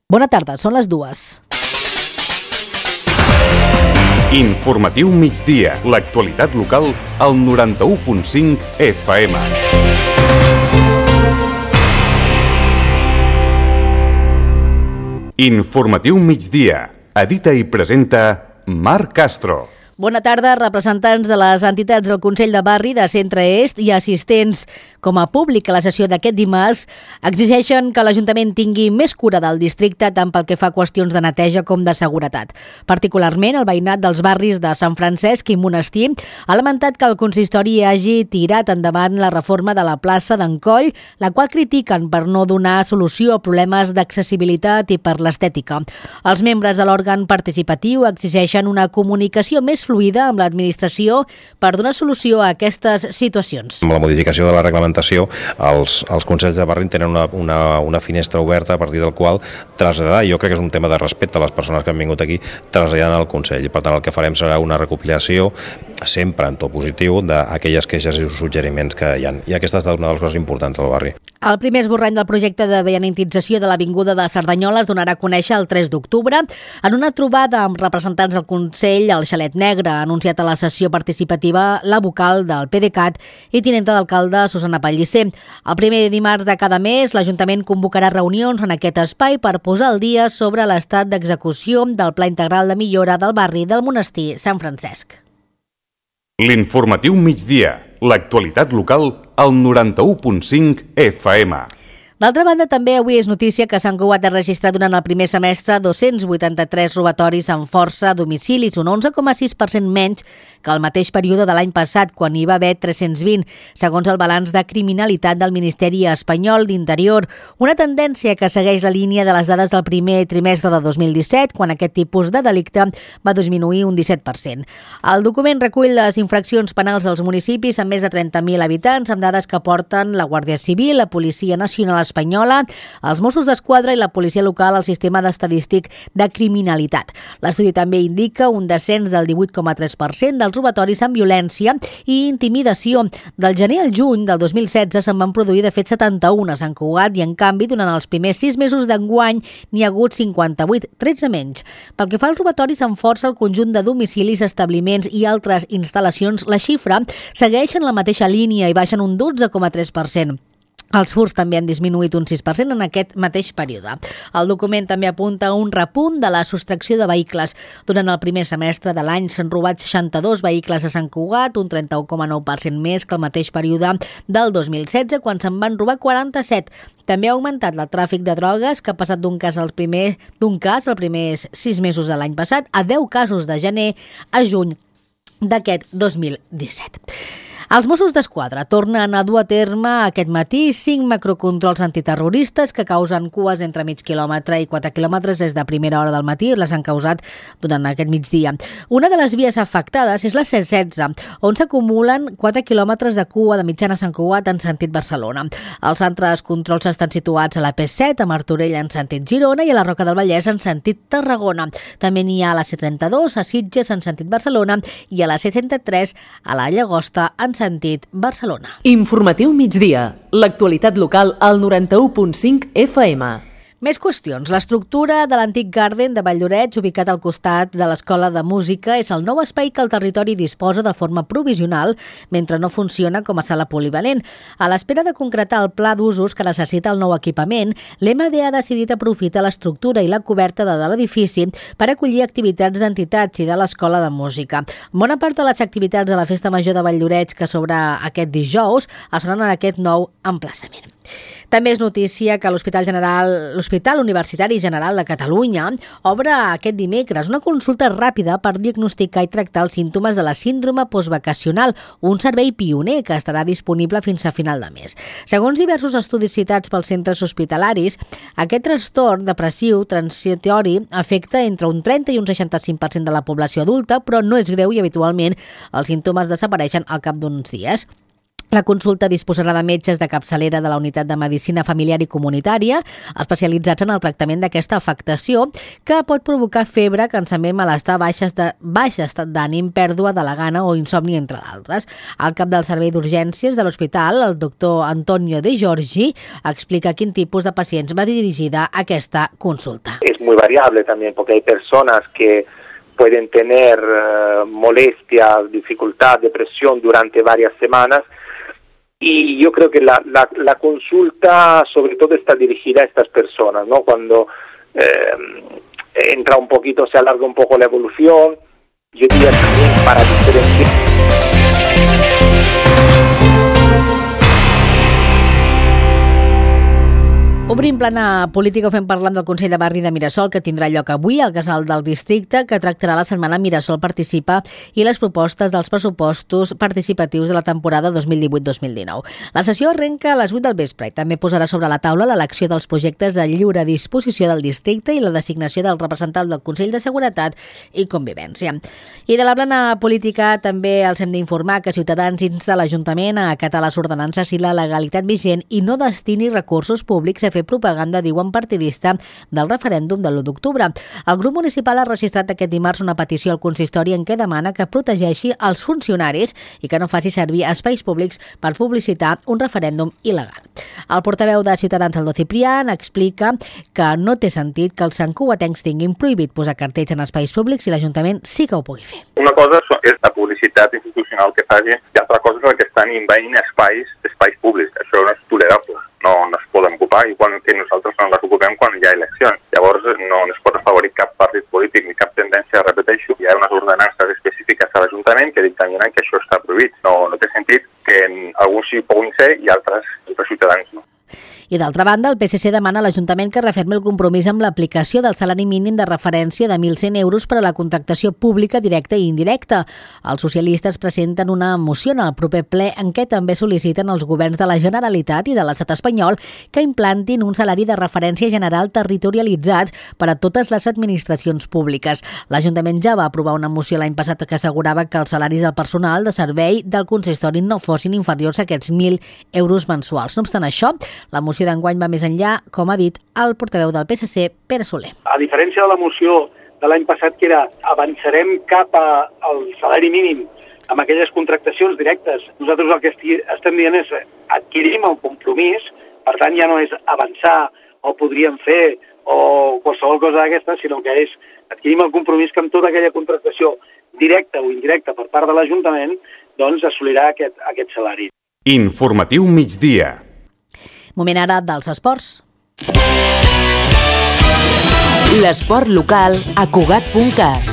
Bona tarda, són les 2. Informatiu migdia, l'actualitat local al 91.5 FM. Informatiu migdia, edita i presenta Marc Castro. Bona tarda, representants de les entitats del Consell de Barri de Centre Est i assistents com a públic a la sessió d'aquest dimarts exigeixen que l'Ajuntament tingui més cura del districte tant pel que fa a qüestions de neteja com de seguretat. Particularment, el veïnat dels barris de Sant Francesc i Monestir ha lamentat que el consistori hagi tirat endavant la reforma de la plaça d'en Coll, la qual critiquen per no donar solució a problemes d'accessibilitat i per l'estètica. Els membres de l'òrgan participatiu exigeixen una comunicació més fluida amb l'administració per donar solució a aquestes situacions. Amb la modificació de la reglamentació, els consells de barri tenen una finestra oberta a partir del qual traslladar, jo crec que és un tema de respecte a les persones que han vingut aquí, traslladant al Consell. I per tant el que farem serà una recopilació, sempre en to positiu, d'aquelles queixes i suggeriments que hi ha. I aquesta ha estat una de les coses importants del barri. El primer esborrany del projecte de veïnatització de l'Avinguda de Cerdanyola es donarà a conèixer el 3 d'octubre en una trobada amb representants del Consell al Xalet Negre. Ha anunciat a la sessió participativa la vocal del PDeCAT i tinenta d'alcalde Susana Pellicer. El primer dimarts de cada mes, l'Ajuntament convocarà reunions en aquest espai per posar al dia sobre l'estat d'execució del Pla Integral de Millora del barri del Monestir Sant Francesc. L'informatiu migdia, l'actualitat local al 91.5 FM. D'altra banda, també avui és notícia que Sant Cugat ha registrat durant el primer semestre 283 robatoris amb força a domicilis, un 11,6% menys que el mateix període de l'any passat, quan hi va haver 320, segons el balanç de criminalitat del Ministeri Espanyol d'Interior. Una tendència que segueix la línia de les dades del primer trimestre de 2017, quan aquest tipus de delicte va disminuir un 17%. El document recull les infraccions penals dels municipis amb més de 30.000 habitants, amb dades que porten la Guàrdia Civil, la Policia Nacional Espanyola, els Mossos d'Esquadra i la policia local al sistema d'estadístic de criminalitat. L'estudi també indica un descens del 18,3% dels robatoris amb violència i intimidació. Del gener al juny del 2016 se'n van produir de fet 71 a Sant Cugat i en canvi durant els primers 6 mesos d'enguany n'hi ha hagut 58, 13 menys. Pel que fa als robatoris amb força al conjunt de domicilis, establiments i altres instal·lacions, la xifra segueix en la mateixa línia i baixen un 12,3%. Els furts també han disminuït un 6% en aquest mateix període. El document també apunta a un repunt de la sostracció de vehicles. Durant el primer semestre de l'any s'han robat 62 vehicles a Sant Cugat, un 31,9% més que el mateix període del 2016, quan se'n van robar 47. També ha augmentat el tràfic de drogues, que ha passat d'un cas els primers 6 mesos de l'any passat a 10 casos de gener a juny d'aquest 2017. Els Mossos d'Esquadra tornen a dur a terme aquest matí 5 macrocontrols antiterroristes que causen cues entre mig quilòmetre i 4 quilòmetres des de primera hora del matí. Les han causat durant aquest migdia. Una de les vies afectades és la C16, on s'acumulen 4 quilòmetres de cua de mitjana a Sant Cugat en sentit Barcelona. Els altres controls estan situats a la P7, a Martorell en sentit Girona i a la Roca del Vallès en sentit Tarragona. També n'hi ha a la C32, a Sitges en sentit Barcelona i a la C33 a la Llagosta en sentit Barcelona. Informatiu migdia, l'actualitat local al 91.5 FM. Més qüestions. L'estructura de l'antic Garden de Valldoreix, ubicat al costat de l'Escola de Música, és el nou espai que el territori disposa de forma provisional mentre no funciona com a sala polivalent. A l'espera de concretar el pla d'usos que necessita el nou equipament, l'MD ha decidit aprofitar l'estructura i la coberta de l'edifici per acollir activitats d'entitats i de l'Escola de Música. Bona part de les activitats de la Festa Major de Valldoreix que s'obre aquest dijous es faran en aquest nou emplaçament. També és notícia que l'Hospital Universitari General de Catalunya obre aquest dimecres una consulta ràpida per diagnosticar i tractar els símptomes de la síndrome postvacacional, un servei pioner que estarà disponible fins a final de mes. Segons diversos estudis citats pels centres hospitalaris, aquest trastorn depressiu transitori afecta entre un 30 i un 65% de la població adulta, però no és greu i habitualment els símptomes desapareixen al cap d'uns dies. La consulta disposarà de metges de capçalera de la Unitat de Medicina Familiar i Comunitària, especialitzats en el tractament d'aquesta afectació, que pot provocar febre, cansament, malestar, baix estat d'ànim, pèrdua de la gana o insomni, entre d'altres. El cap del servei d'urgències de l'hospital, el doctor Antonio De Giorgi, explica quin tipus de pacients va dirigida aquesta consulta. Es muy variable también, porque hay personas que pueden tener molestias, dificultad, depresión durante varias semanas. Y yo creo que la consulta sobre todo está dirigida a estas personas, ¿no? Cuando entra un poquito, se alarga un poco la evolución, yo diría también para diferenciar. Obrim plana política, ho fem parlant del Consell de Barri de Mirasol, que tindrà lloc avui al Casal del Districte, que tractarà la setmana Mirasol Participa i les propostes dels pressupostos participatius de la temporada 2018-2019. La sessió arrenca a les 8 del vespre i també posarà sobre la taula l'elecció dels projectes de lliure disposició del districte i la designació del representant del Consell de Seguretat i Convivència. I de la plana política també els hem d'informar que Ciutadans insta l'Ajuntament a acatar les ordenances i la legalitat vigent i no destini recursos públics a fer propaganda, diuen, partidista del referèndum de l'1 d'octubre. El grup municipal ha registrat aquest dimarts una petició al consistori en què demana que protegeixi els funcionaris i que no faci servir espais públics per publicitar un referèndum il·legal. El portaveu de Ciutadans, Aldo Ciprián, explica que no té sentit que els santcugatencs tinguin prohibit posar cartells en espais públics i l'Ajuntament sí que ho pugui fer. Una cosa és la publicitat institucional que faci i altra cosa és el que estan envaint espais públics. Això no és tolerable. No es poden ocupar i que nosaltres no les ocupem quan hi ha eleccions. Llavors no es pot afavorir cap partit polític ni cap tendència, repeteixo. Hi ha unes ordenances específiques a l'Ajuntament que dictaminen que això està prohibit. No té sentit que alguns sí puguin ser i altres ciutadans no. I d'altra banda, el PSC demana a l'Ajuntament que refermi el compromís amb l'aplicació del salari mínim de referència de 1.100 euros per a la contractació pública directa i indirecta. Els socialistes presenten una moció en el proper ple en què també sol·liciten als governs de la Generalitat i de l'Estat espanyol que implantin un salari de referència general territorialitzat per a totes les administracions públiques. L'Ajuntament ja va aprovar una moció l'any passat que assegurava que els salaris del personal de servei del consistori no fossin inferiors a aquests 1.000 euros mensuals. No obstant això, la moció d'enguany va més enllà, com ha dit el portaveu del PSC, Pere Soler. A diferència de la moció de l'any passat, que era avançarem cap al salari mínim amb aquelles contractacions directes, nosaltres el que estem dient és adquirim el compromís, per tant ja no és avançar o podríem fer o qualsevol cosa d'aquesta, sinó que és adquirim el compromís que amb tota aquella contractació directa o indirecta per part de l'Ajuntament doncs assolirà aquest salari. Informatiu migdia. Moment ara dels esports. L'esport local a Cugat.cat.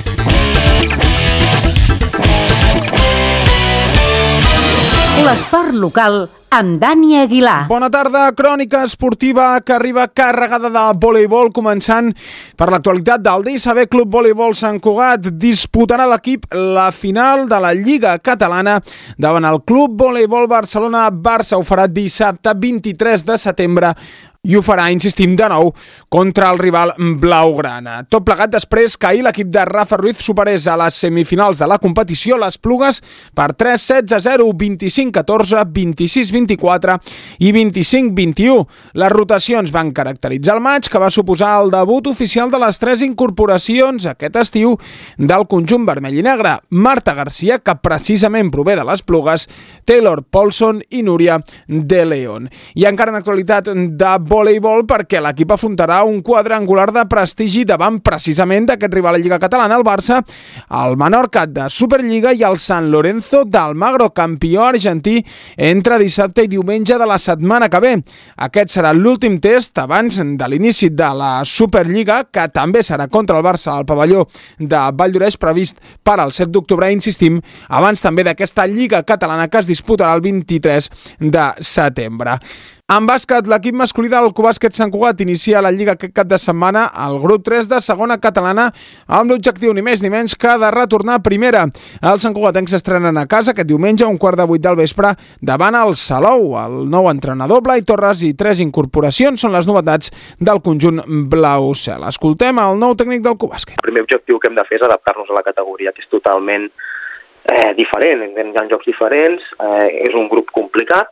L'esport local amb Dani Aguilar. Bona tarda, crònica esportiva que arriba carregada de voleibol, començant per l'actualitat del DSB Club Voleibol Sant Cugat. Disputarà l'equip la final de la Lliga Catalana davant el Club Voleibol Barcelona. Barça ho farà dissabte 23 de setembre i ho farà, insistim, de nou contra el rival blaugrana. Tot plegat després que ahir l'equip de Rafa Ruiz superés a les semifinals de la competició les Plugues per 3-16-0, 25-14, 26-24 i 25-21. Les rotacions van caracteritzar el maig, que va suposar el debut oficial de les 3 incorporacions aquest estiu del conjunt vermell i negre. Marta Garcia, que precisament prové de les Plugues, Taylor Paulson i Núria de León. I encara en actualitat de voleibol, perquè l'equip afrontarà un quadrangular de prestigi davant precisament d'aquest rival a Lliga Catalana, el Barça, el Menorca de Superliga i el San Lorenzo d'Almagro, campió argentí, entre dissabte i diumenge de la setmana que ve. Aquest serà l'últim test abans de l'inici de la Superliga, que també serà contra el Barça al pavelló de Valldoreix, previst per al 7 d'octubre, insistim, abans també d'aquesta Lliga Catalana que es disputarà el 23 de setembre. En bàsquet, l'equip masculí del Cubàsquet Sant Cugat inicia la Lliga aquest cap de setmana al grup 3 de segona catalana amb l'objectiu ni més ni menys que de retornar a primera. Els santcugatencs s'estrenen a casa aquest diumenge a 7:15 del vespre davant el Salou. El nou entrenador, Blai Torres, i 3 incorporacions són les novetats del conjunt blau cel. Escoltem el nou tècnic del Cubàsquet. El primer objectiu que hem de fer és adaptar-nos a la categoria, que és totalment diferent, hi ha jocs diferents, és un grup complicat,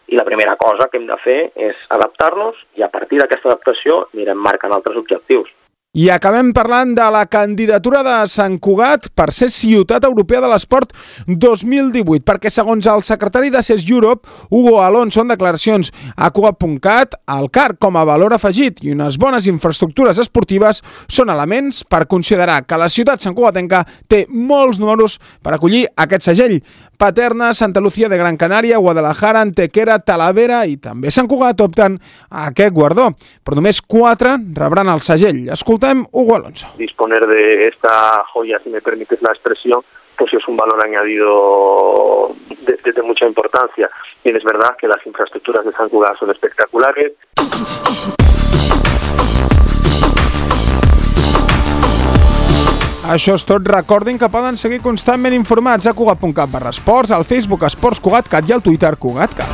i la primera cosa que hem de fer és adaptar-nos i a partir d'aquesta adaptació anirem marcant altres objectius. I acabem parlant de la candidatura de Sant Cugat per ser Ciutat Europea de l'Esport 2018, perquè segons el secretari de CES Europe, Hugo Alonso, en declaracions a Cugat.cat, el CAR com a valor afegit i unes bones infraestructures esportives són elements per considerar que la ciutat santcugatenca té molts números per acollir aquest segell. Paterna, Santa Lucía de Gran Canària, Guadalajara, Antequera, Talavera i també Sant Cugat opten a aquest guardó, però només 4 rebran el segell. Escoltem Hugo Alonso. Disponer de esta joya, si me permites la expresión, pues es un valor añadido de mucha importancia. Bien, es verdad que las infraestructuras de Sant Cugat son espectaculares. Això és tot. Recordin que poden seguir constantment informats a Cugat.cat/esports, al Facebook Esports CugatCat i al Twitter CugatCat.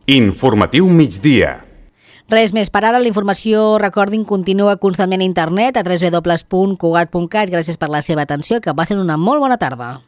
Informatiu migdia. Res més per ara. La informació, recordin, continua constantment a internet a www.cugat.cat. Gràcies per la seva atenció, que passin una molt bona tarda.